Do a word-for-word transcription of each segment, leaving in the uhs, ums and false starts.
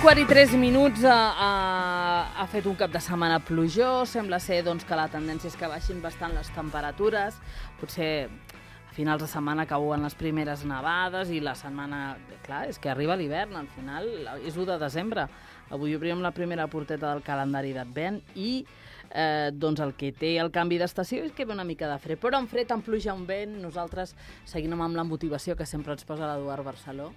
quart i tres minuts ha, ha, ha fet un cap de setmana plujós. Sembla ser doncs, que la tendència és que baixin bastant les temperatures. Potser a finals de setmana cauen les primeres nevades i la setmana... Clar, és que arriba l'hivern, al final és u de desembre. Avui obrim la primera porteta del calendari d'Advent i eh, doncs el que té el canvi d'estació és que ve una mica de fred. Però en fred, en pluja, en vent, nosaltres seguim amb la motivació que sempre ens posa l'Eduard Barceló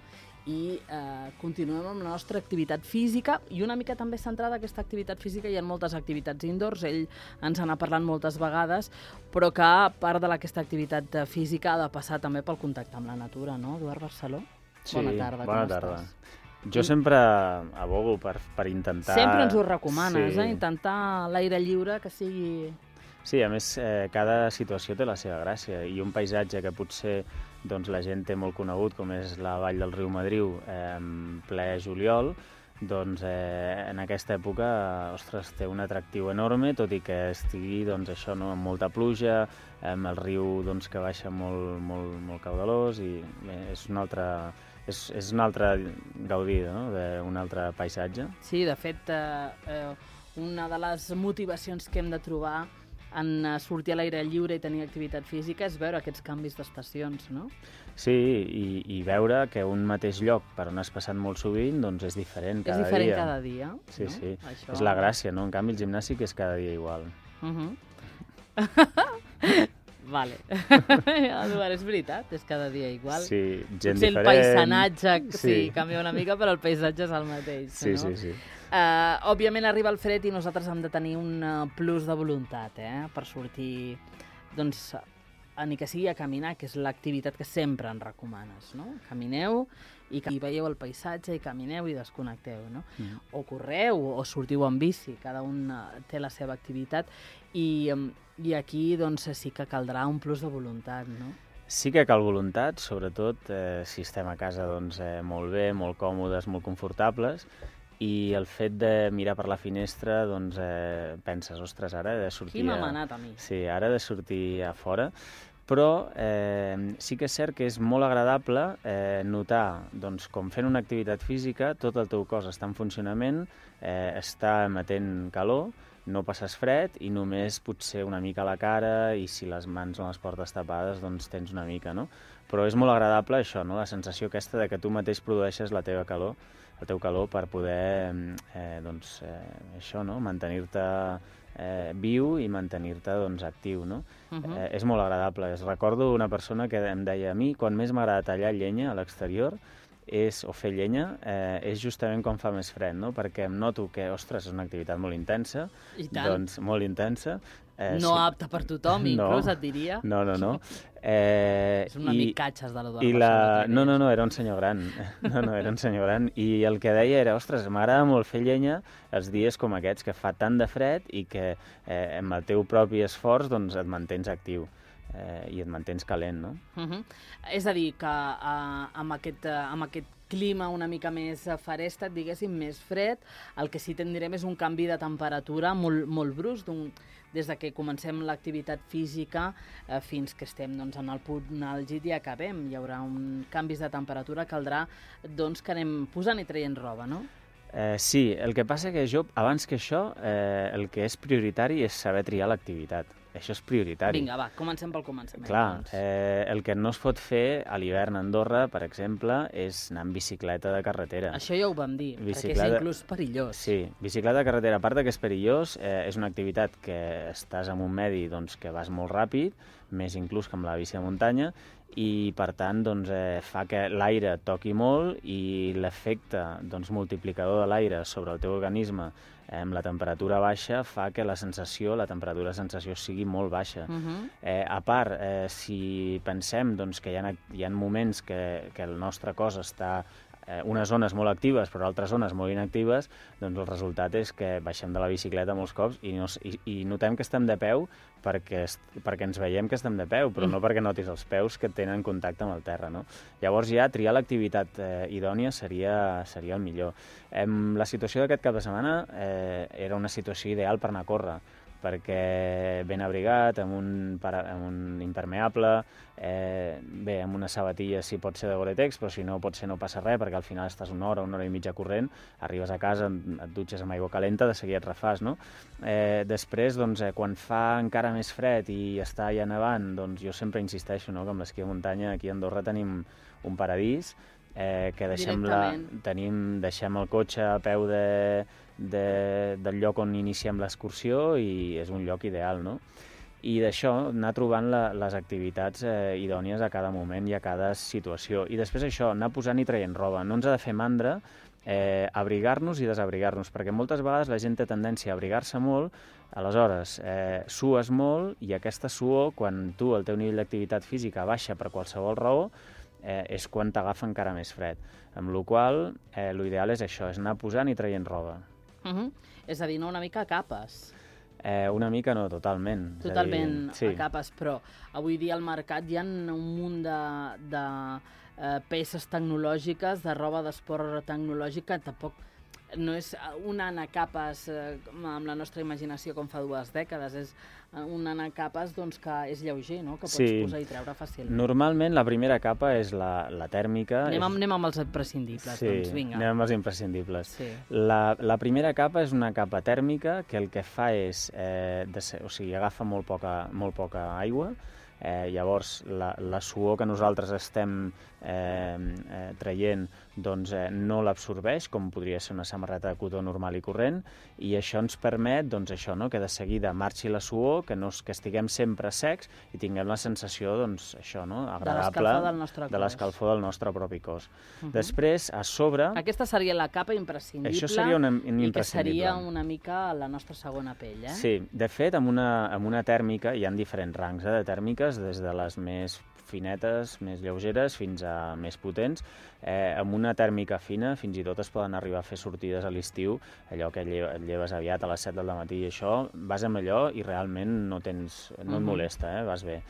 i eh, continuem amb la nostra activitat física i una mica també centrada en aquesta activitat física. Hi ha moltes activitats indoors, ell ens n'ha parlat moltes vegades, però que part d'aquesta activitat física ha de passar també pel contacte amb la natura, no, Eduard Barceló? Sí, bona tarda, bona com tarda. estàs? Jo sempre abogo per, per intentar... Sempre ens ho recomanes, sí. eh? Intentar l'aire lliure, que sigui... Sí, a més, eh, cada situació té la seva gràcia i un paisatge que potser doncs, la gent té molt conegut, com és la vall del riu Madriu, eh, en ple juliol, doncs eh, en aquesta època, ostres, té un atractiu enorme, tot i que estigui, doncs, això, no, amb molta pluja, amb el riu doncs, que baixa molt, molt, molt caudalós i bé, és un altre... És, és un altre gaudir, no?, d'un altre paisatge. Sí, de fet, eh, eh, una de les motivacions que hem de trobar en sortir a l'aire lliure i tenir activitat física és veure aquests canvis d'estacions, no? Sí, i, i veure que un mateix lloc per on has passat molt sovint doncs és diferent cada dia. És diferent dia. cada dia. Sí, no? sí, Això... és la gràcia, no? En canvi, el gimnàstic és cada dia igual. Uh-huh. Vale. Eduard, és veritat, és cada dia igual. Sí, gent Potser diferent. el paisatge, sí, sí, canvia una mica, però el paisatge és el mateix, sí, no? Sí, sí, Uh, òbviament arriba el fred i nosaltres hem de tenir un plus de voluntat, eh? Per sortir, doncs, a, ni que sigui a caminar, que és l'activitat que sempre ens recomanes, no? Camineu i, i veieu el paisatge i camineu i desconnecteu, no? Mm. O correu o sortiu en bici, cada un té la seva activitat i, i aquí doncs sí que caldrà un plus de voluntat, no? Sí que cal voluntat, sobretot eh, si estem a casa doncs, eh, molt bé, molt còmodes, molt confortables, i el fet de mirar per la finestra, doncs eh, penses, ostres, ara he de sortir... Qui m'ha manat a mi? Sí, ara he de sortir a fora, però eh, sí que és cert que és molt agradable eh, notar, doncs, com fent una activitat física, tot el teu cos està en funcionament, eh, està emetent calor, no passes fred i només potser una mica a la cara i si les mans no les portes tapades, doncs tens una mica, no? Però és molt agradable això, no? La sensació aquesta de que tu mateix produeixes la teva calor, el teu calor per poder eh, doncs, eh, això, no? Mantenir-te eh, viu i mantenir-te doncs, actiu, no? Uh-huh. eh, és molt agradable. Es recordo una persona que em deia, a mi quan més m'agrada tallar llenya a l'exterior és, o fer llenya, eh, és justament quan fa més fred, no? Perquè em noto que, ostres, és una activitat molt intensa, I tant. doncs molt intensa. Eh, no sí. apta per tothom, inclús no, et diria. No, no, no. Eh, és un amic catxes de l'Eduard Barceló. La... No, no, no, era un senyor gran. No, no, era un senyor gran. I el que deia era, ostres, m'agrada molt fer llenya els dies com aquests, que fa tant de fred i que eh, amb el teu propi esforç doncs, et mantens actiu. Eh, i et mantens calent, no? Uh-huh. És a dir, que uh, amb, aquest, uh, amb aquest clima una mica més feréstec, diguéssim, més fred, el que sí tindrem és un canvi de temperatura molt, molt brusc, des de que comencem l'activitat física eh, fins que estem doncs, en el punt àlgid i acabem. Hi haurà un canvis de temperatura, caldrà doncs, que anem posant i traient roba, no? Eh, sí, el que passa que jo, abans que això, eh, el que és prioritari és saber triar l'activitat. Això és prioritari. Vinga, va, comencem pel començament. Clar, eh, el que no es pot fer a l'hivern a Andorra, per exemple, és anar en bicicleta de carretera. Això ja ho vam dir, bicicleta... perquè és inclús perillós. Sí, bicicleta de carretera, a part que és perillós, eh, és una activitat que estàs en un medi doncs, que vas molt ràpid, més inclús que amb la bici de muntanya, i per tant doncs, eh, fa que l'aire toqui molt i l'efecte doncs, multiplicador de l'aire sobre el teu organisme eh, amb la temperatura baixa fa que la sensació, la temperatura de sensació sigui molt baixa. Uh-huh. eh, a part, eh, si pensem doncs, que hi ha, hi ha moments que, que el nostre cos està eh, unes zones molt actives però altres zones molt inactives, doncs el resultat és que baixem de la bicicleta molts cops i, no, i, i notem que estem de peu perquè, perquè ens veiem que estem de peu, però no perquè notis els peus que tenen contacte amb el terra, no? Llavors ja triar l'activitat eh, idònia seria, seria el millor. Eh, la situació d'aquest cap de setmana eh, era una situació ideal per anar a córrer, perquè ben abrigat, amb un, amb un impermeable, eh, bé, amb una sabatilla si pot ser de Gore-Tex, però si no pot ser no passa res, perquè al final estàs una hora, una hora i mitja corrent, arribes a casa, et dutxes amb aigua calenta, de seguida et refàs, no? Eh, després, doncs, eh, quan fa encara més fred i està ja nevant, doncs jo sempre insisteixo, no?, que amb l'esquí de muntanya aquí a Andorra tenim un paradís, eh, que deixem, la, tenim, deixem el cotxe a peu de, de, del lloc on iniciem l'excursió i és un lloc ideal, no? I d'això anar trobant la, les activitats eh, idònies a cada moment i a cada situació. I després això, anar posant i traient roba. No ens ha de fer mandra eh, abrigar-nos i desabrigar-nos, perquè moltes vegades la gent té tendència a abrigar-se molt, aleshores eh, sues molt i aquesta suor, quan tu el teu nivell d'activitat física baixa per qualsevol raó, eh, és quan t'agafa encara més fred. Amb la qual cosa, eh, l'ideal és això, és anar posant i traient roba. Uh -huh. És a dir, no una mica a capes. Eh, una mica no, totalment. Totalment a, dir, sí. a capes, però avui dia al mercat hi ha un munt de, de eh, peces tecnològiques, de roba d'esport tecnològica, tampoc no és un anar a capes eh, amb la nostra imaginació com fa dues dècades, és un anar a capes doncs, que és lleuger, no? Que pots sí. posar i treure fàcilment. Normalment la primera capa és la, la tèrmica. Anem, és... anem amb els imprescindibles, sí, doncs vinga. anem amb els imprescindibles. Sí. La, la primera capa és una capa tèrmica que el que fa és, eh, de ser, o sigui, agafa molt poca, molt poca aigua, eh, llavors la, la suor que nosaltres estem eh, eh, traient doncs, eh, no l'absorbeix, com podria ser una samarreta de cotó normal i corrent, i això ens permet doncs, això, no? Que de seguida marxi la suor, que, no, que estiguem sempre secs i tinguem la sensació doncs, això, no? agradable de l'escalfor del nostre cos. De l'escalfor del nostre propi cos. Uh -huh. Després, a sobre... Aquesta seria la capa imprescindible, això seria una, un i que seria imprescindible. una mica la nostra segona pell, eh? Sí, de fet, amb una, amb una tèrmica, hi ha diferents rangs eh, de tèrmiques, des de les més finetes, més lleugeres, fins a més potents. Eh, amb una tèrmica fina, fins i tot es poden arribar a fer sortides a l'estiu, allò que et lleves aviat a les set del matí i això, vas amb allò i realment no, tens, no et molesta, eh, vas bé.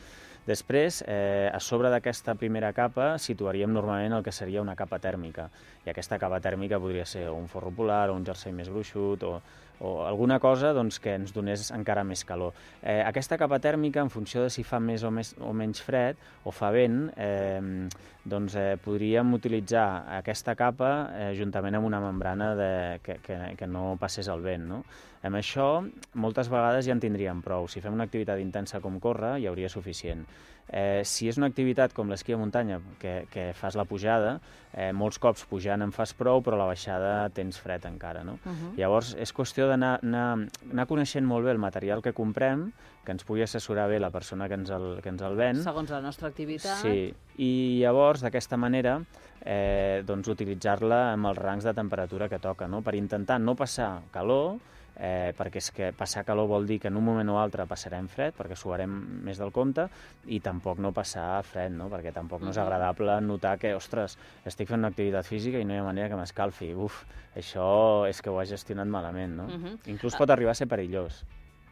Després, eh, a sobre d'aquesta primera capa, situaríem normalment el que seria una capa tèrmica. I aquesta capa tèrmica podria ser un forro polar o un jersei més gruixut o, o alguna cosa doncs, que ens donés encara més calor. Eh, aquesta capa tèrmica, en funció de si fa més o, més, o menys fred o fa vent, eh, doncs eh, podríem utilitzar aquesta capa eh, juntament amb una membrana de, que, que, que no passés el vent, no? Amb això, moltes vegades ja en tindríem prou. Si fem una activitat intensa com córrer, hi hauria suficient. Eh, si és una activitat com l'esquí de muntanya, que, que fas la pujada, eh, molts cops pujant en fas prou, però a la baixada tens fred encara, no? Uh-huh. Llavors, és qüestió d'anar anar, anar coneixent molt bé el material que comprem, que ens pugui assessorar bé la persona que ens el, que ens el ven. Segons la nostra activitat. Sí, i llavors, d'aquesta manera, eh, doncs, utilitzar-la amb els rangs de temperatura que toca, no? Per intentar no passar calor, Eh, perquè és que passar calor vol dir que en un moment o altre passarem fred, perquè suarem més del compte, i tampoc no passar fred, no? Perquè tampoc no és agradable notar que, ostres, estic fent una activitat física i no hi ha manera que m'escalfi. Uf, això és que ho has gestionat malament, no? Uh -huh. Inclús pot arribar a ser perillós.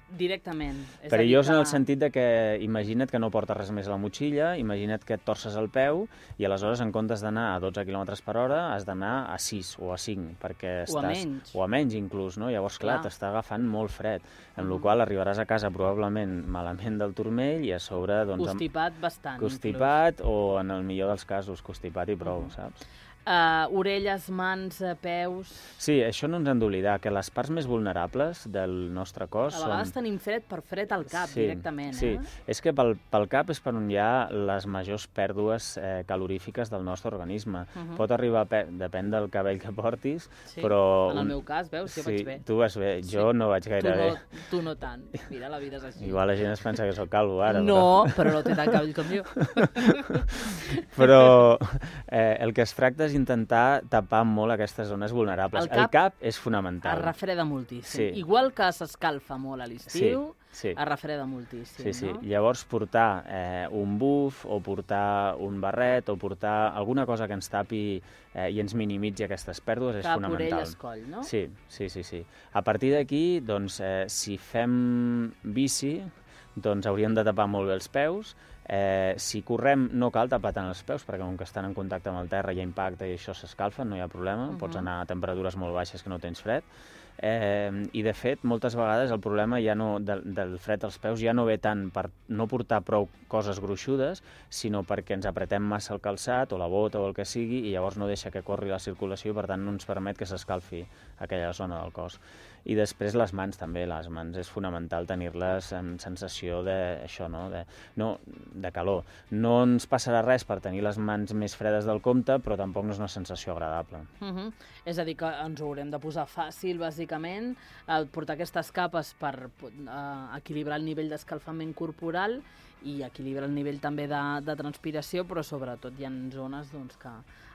Directament. És Perillós que... en el sentit de que imagina't que no portes res més a la motxilla, imagina't que et torces el peu i aleshores en comptes d'anar a dotze quilòmetres per hora has d'anar a sis o a cinc, perquè estàs... O a menys. O a menys inclús, no? Llavors, clar, clar. t'està agafant molt fred, amb uh-huh. la qual arribaràs a casa probablement malament del turmell i a sobre... Doncs, constipat amb... bastant. Constipat inclús. O, en el millor dels casos, constipat i prou, uh-huh. saps? Uh, orelles, mans, uh, peus... Sí, això no ens hem d'oblidar, que les parts més vulnerables del nostre cos són... A vegades són... tenim fred per fred al cap, sí, directament. Sí, eh? és que pel, pel cap és per on hi ha les majors pèrdues eh, calorífiques del nostre organisme. Uh-huh. Pot arribar, a pe... depèn del cabell que portis, sí. però... En el meu cas, veus, jo sí, vaig bé. Tu vas bé, jo sí. no vaig gaire tu no, bé. Tu no tant. Mira, la vida és així. Igual la gent es pensa que sóc calvo ara. No, però, però no té tant cabell com jo. Però eh, el que es tracta és intentar tapar molt aquestes zones vulnerables. El cap, el cap és fonamental. Es refreda moltíssim. Sí. Igual que s'escalfa molt a l'estiu, sí, sí. es refreda moltíssim. Sí, sí. No? Llavors portar eh, un buf o portar un barret o portar alguna cosa que ens tapi eh, i ens minimitzi aquestes pèrdues és cap, fonamental. Cap, orelles, coll, no? Sí, sí, sí, sí. A partir d'aquí, doncs, eh, si fem bici, doncs hauríem de tapar molt bé els peus. Eh, si correm no cal tapar tant els peus, perquè com que estan en contacte amb el terra hi ha impacte i això s'escalfa, no hi ha problema, uh-huh. pots anar a temperatures molt baixes que no tens fred. Eh, I, de fet, moltes vegades el problema ja no, del, del fred als peus ja no ve tant per no portar prou coses gruixudes, sinó perquè ens apretem massa el calçat o la bota o el que sigui i llavors no deixa que corri la circulació i, per tant, no ens permet que s'escalfi aquella zona del cos. I després les mans també, les mans és fonamental tenir-les amb sensació de, això, no? De, no, de calor. No ens passarà res per tenir les mans més fredes del compte, però tampoc no és una sensació agradable. Uh -huh. És a dir, que ens ho haurem de posar fàcil, bàsicament, eh, portar aquestes capes per eh, equilibrar el nivell d'escalfament corporal i equilibrar el nivell també de, de transpiració, però sobretot hi ha zones doncs, que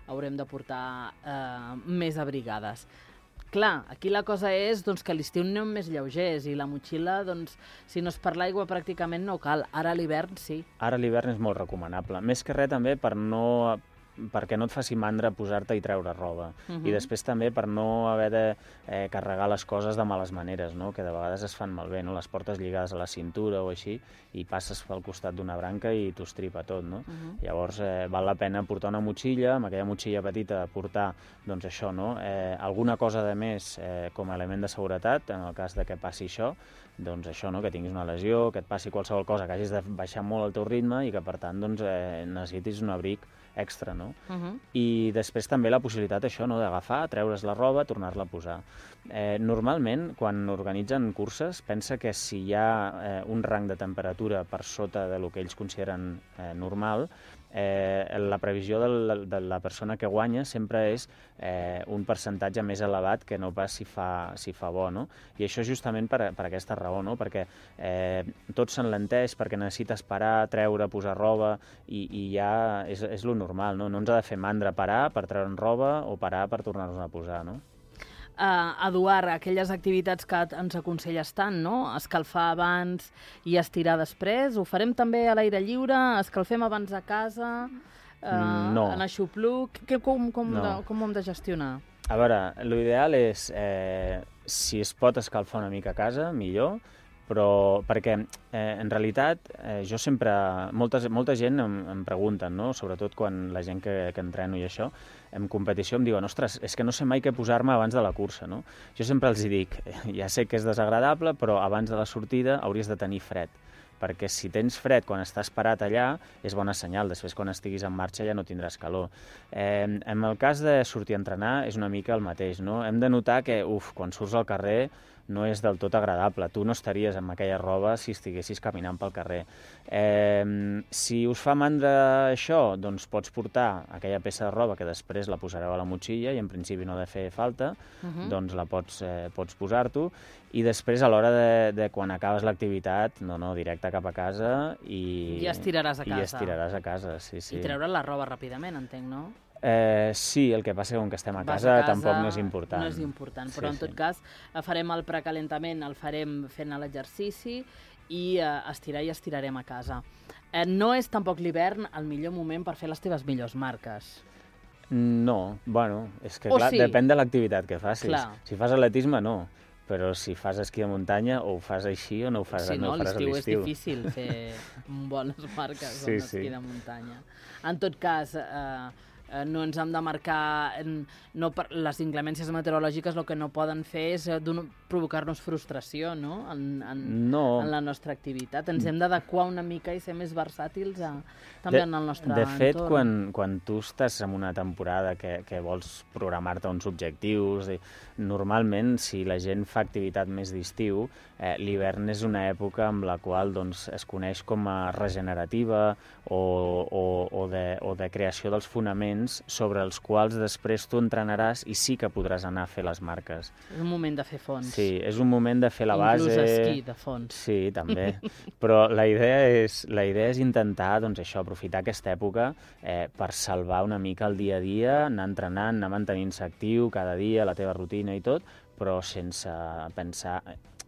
haurem de portar eh, més abrigades. Clar, aquí la cosa és doncs, que a l'estiu anem més lleugers i la motxilla, doncs, si no és per l'aigua, pràcticament no cal. Ara a l'hivern sí. Ara a l'hivern és molt recomanable. Més que res també per no... perquè no et faci mandra posar-te i treure roba. Uh -huh. I després també per no haver de eh, carregar les coses de males maneres, no? Que de vegades es fan malbé, no? Les portes lligades a la cintura o així i passes pel costat d'una branca i t'ho estripa tot, no? Uh -huh. Llavors eh, val la pena portar una motxilla, amb aquella motxilla petita portar, doncs això, no? Eh, alguna cosa de més eh, com a element de seguretat, en el cas de que passi això, doncs això, no? Que tinguis una lesió, que et passi qualsevol cosa, que hagis de baixar molt el teu ritme i que, per tant, doncs, eh, necessitis un abric extra, no? Uh -huh. I després també la possibilitat, això, no?, d'agafar, treure's la roba, tornar-la a posar. Eh, normalment, quan organitzen curses, pensa que si hi ha eh, un rang de temperatura per sota de lo que ells consideren eh, normal, eh, la previsió de la, de la persona que guanya sempre és eh, un percentatge més elevat que no pas si fa, si fa bo, no? I això justament per, per aquesta raó, no? Perquè eh, tot s'enlenteix, perquè necessites parar, treure, posar roba, i, i ja és, és lo normal, no? No ens ha de fer mandra parar per treure'n roba o parar per tornar-nos a posar, no? Uh, Eduard, aquelles activitats que ens aconselles tant, no? Escalfar abans i estirar després, ho farem també a l'aire lliure? Escalfem abans a casa? Uh, no. En aixopluc? Que, com, com, no. de, com ho hem de gestionar? A veure, l'ideal és, eh, si es pot escalfar una mica a casa, millor, però perquè eh, en realitat eh, jo sempre, moltes, molta gent em, em pregunten, no? Sobretot quan la gent que, que entreno i això, en competició em diuen, ostres, és que no sé mai què posar-me abans de la cursa, no? Jo sempre els dic, ja sé que és desagradable, però abans de la sortida hauries de tenir fred, perquè si tens fred quan estàs parat allà és bona senyal, després quan estiguis en marxa ja no tindràs calor. Eh, en el cas de sortir a entrenar és una mica el mateix, no? Hem de notar que, uf, quan surts al carrer no és del tot agradable. Tu no estaries amb aquella roba si estiguessis caminant pel carrer. Eh, si us fa mandra això, doncs pots portar aquella peça de roba que després la posareu a la motxilla i en principi no ha de fer falta, uh-huh. doncs la pots, eh, pots posar-t'ho i després a l'hora de, de quan acabes l'activitat, no, no, directe cap a casa i... I estiraràs a casa. I estiraràs a casa, sí, sí. I treure la roba ràpidament, entenc, no? Eh, sí, el que passa com que estem a casa, a casa tampoc no és important. No és important, però sí, en tot sí. cas farem el precalentament, el farem fent l'exercici i eh, estirar i estirarem a casa. Eh, no és tampoc l'hivern el millor moment per fer les teves millors marques. No, bueno, és que o clar, sí. depèn de l'activitat que facis. Clar. Si fas atletisme, no. Però si fas esquí de muntanya, o ho fas així o no ho fas, sí, no no, ho faràs a l'estiu. l'estiu és difícil fer bones marques sí, amb esquí sí. de muntanya. En tot cas, eh, no ens hem de marcar... No, per, les inclemències meteorològiques el que no poden fer és provocar-nos frustració, no? En, en, no. en la nostra activitat. Ens hem d'adequar una mica i ser més versàtils a, també de, en el nostre de fet, entorn. quan, quan tu estàs en una temporada que, que vols programar-te uns objectius, i, normalment, si la gent fa activitat més d'estiu, eh, l'hivern és una època amb la qual doncs, es coneix com a regenerativa o, o, o, de, o de creació dels fonaments sobre els quals després tu entrenaràs i sí que podràs anar a fer les marques. És un moment de fer fons. Sí, és un moment de fer la base... Inclús esquí de fons. Sí, també. Però la idea és, la idea és intentar doncs, això, aprofitar aquesta època eh, per salvar una mica el dia a dia, anar entrenant, anar mantenint-se actiu cada dia, la teva rutina i tot, però sense pensar...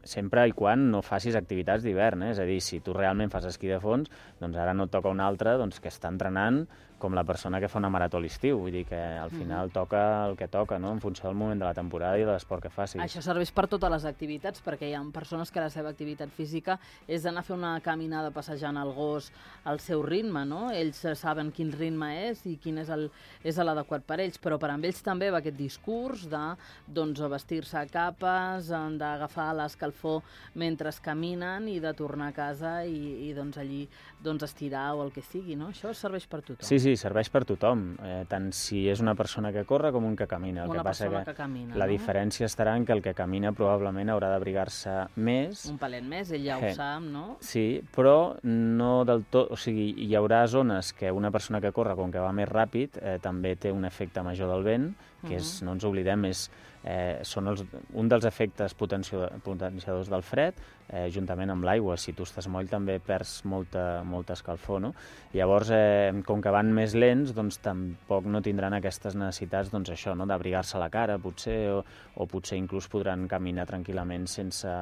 sempre i quan no facis activitats d'hivern, eh? És a dir, si tu realment fas esquí de fons, doncs ara no et toca un altre doncs, que està entrenant com la persona que fa una marató a l'estiu, vull dir que al final mm. toca el que toca, no?, en funció del moment de la temporada i de l'esport que facis. Això serveix per totes les activitats, perquè hi ha persones que la seva activitat física és d'anar a fer una caminada passejant el gos al seu ritme, no? Ells saben quin ritme és i quin és el és l'adequat per ells, però per amb ells també va aquest discurs de doncs, vestir-se a capes, d'agafar l'escalfor mentre caminen i de tornar a casa i, i doncs, allí doncs, estirar o el que sigui, no? Això serveix per tothom. Sí, sí, serveix per tothom, eh, tant si és una persona que corre com un que camina. El una que passa persona que, que camina, la no? diferència estarà en que el que camina probablement haurà d'abrigar-se més. Un palet més, ell ja ho eh, sap, no? Sí, però no del tot, o sigui, hi haurà zones que una persona que corre, com que va més ràpid, eh, també té un efecte major del vent, que és, no ens oblidem, és, eh, són els, un dels efectes potenciadors del fred, eh, juntament amb l'aigua. Si tu estàs moll també perds molta, molta escalfor, no? Llavors, eh, com que van més lents, doncs tampoc no tindran aquestes necessitats, doncs això, no?, d'abrigar-se la cara, potser, o, o potser inclús podran caminar tranquil·lament sense,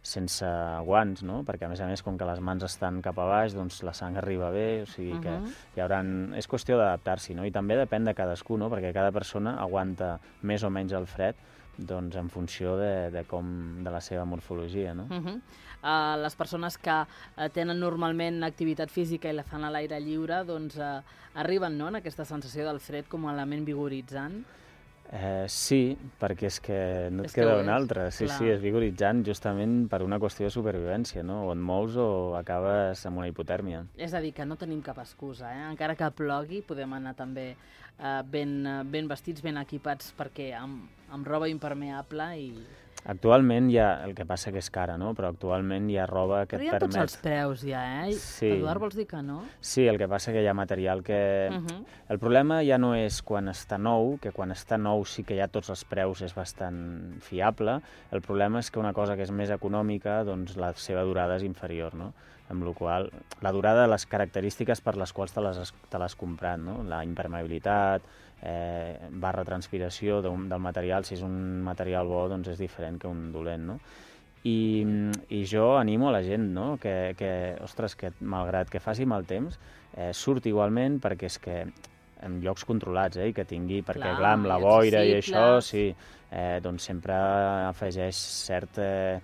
sense guants, no? Perquè, a més a més, com que les mans estan cap a baix, doncs la sang arriba bé, o sigui que uh -huh. hi hauran... És qüestió d'adaptar-s'hi, no? I també depèn de cadascú, no? Perquè cada persona aguanta més o menys el fred doncs en funció de, de com de la seva morfologia, no? Uh -huh. uh, les persones que uh, tenen normalment activitat física i la fan a l'aire lliure, doncs uh, arriben, no?, en aquesta sensació del fred com a element vigoritzant. Eh, sí, perquè és que no et és queda un altre. Sí, clar. Sí, és vigoritzant justament per una qüestió de supervivència, no? O et mous o acabes amb una hipotèrmia. És a dir, que no tenim cap excusa, eh? Encara que plogui, podem anar també eh, ben, ben vestits, ben equipats, perquè amb, amb roba impermeable i... Actualment hi ha, el que passa que és cara, no? Però actualment hi ha roba que et permet... Però hi ha tots els preus ja, eh? Sí. Eduard, vols dir que no? Sí, el que passa que hi ha material que... Uh -huh. El problema ja no és quan està nou, que quan està nou sí que ja tots els preus és bastant fiable. El problema és que una cosa que és més econòmica, doncs la seva durada és inferior, no? Amb la qual la durada de les característiques per les quals te les, te l'has comprat, no? La impermeabilitat, eh, barra transpiració del material, si és un material bo, doncs és diferent que un dolent, no? I, i jo animo a la gent, no?, que, que, ostres, que malgrat que faci mal temps, eh, surt igualment, perquè és que en llocs controlats, eh, i que tingui, perquè clar, clar amb la boira i això, sí, eh, doncs sempre afegeix cert... Eh,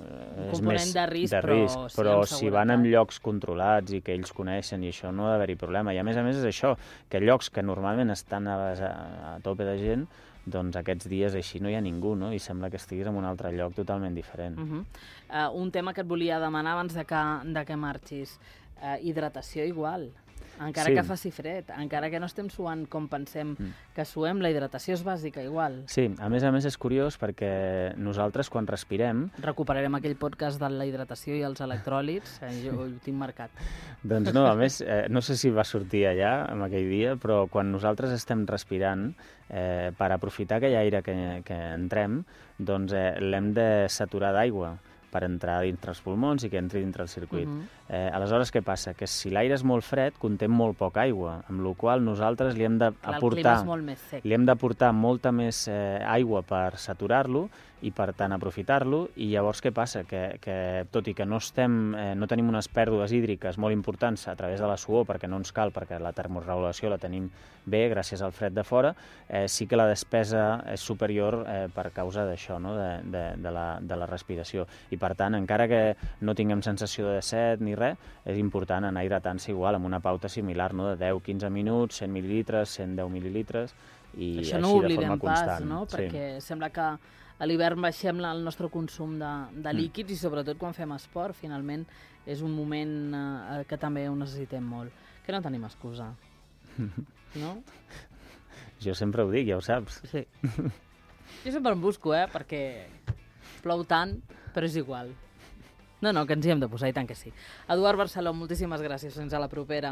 un component més de risc, de risc però, però si van en llocs controlats i que ells coneixen i això no ha d'haver-hi problema. I a més a més és això, que llocs que normalment estan a, a, a tope de gent, doncs aquests dies així no hi ha ningú, no? I sembla que estiguis en un altre lloc totalment diferent. Uh -huh. uh, un tema que et volia demanar abans de que, de que marxis, uh, hidratació igual. Encara sí. que faci fred, encara que no estem suant com pensem mm. que suem, la hidratació és bàsica igual. Sí, a més a més és curiós perquè nosaltres quan respirem... Recuperarem aquell podcast de la hidratació i els electròlits, eh, jo ho tinc marcat. Doncs no, a més, eh, no sé si va sortir allà en aquell dia, però quan nosaltres estem respirant, eh, per aprofitar aquell aire que, que entrem, doncs eh, l'hem de saturar d'aigua per entrar dintre els pulmons i que entri dintre el circuit. Uh -huh. eh, aleshores, què passa? Que si l'aire és molt fred, conté molt poca aigua, amb la qual nosaltres li hem d'aportar li hem d'aportar molta més eh, aigua per saturar-lo i, per tant, aprofitar-lo. I llavors què passa? Que, que tot i que no, estem, eh, no tenim unes pèrdues hídriques molt importants a través de la suor, perquè no ens cal, perquè la termorregulació la tenim bé gràcies al fred de fora, eh, sí que la despesa és superior eh, per causa d'això, no? de, de, de, la, de la respiració. I, per tant, encara que no tinguem sensació de set ni res, és important anar hidratant-se igual, amb una pauta similar, no? De deu a quinze minuts, cent mil·lilitres, cent deu mil·lilitres, i això així no de forma pas, constant. No? Perquè sí. sembla que a l'hivern baixem el nostre consum de, de líquids mm. i sobretot quan fem esport, finalment és un moment eh, que també ho necessitem molt. Que no tenim excusa, no? Jo sempre ho dic, ja ho saps. Sí. Jo sempre em busco, eh, perquè plou tant, però és igual. No, no, que ens hi hem de posar, i tant que sí. Eduard Barceló, moltíssimes gràcies, fins a la propera.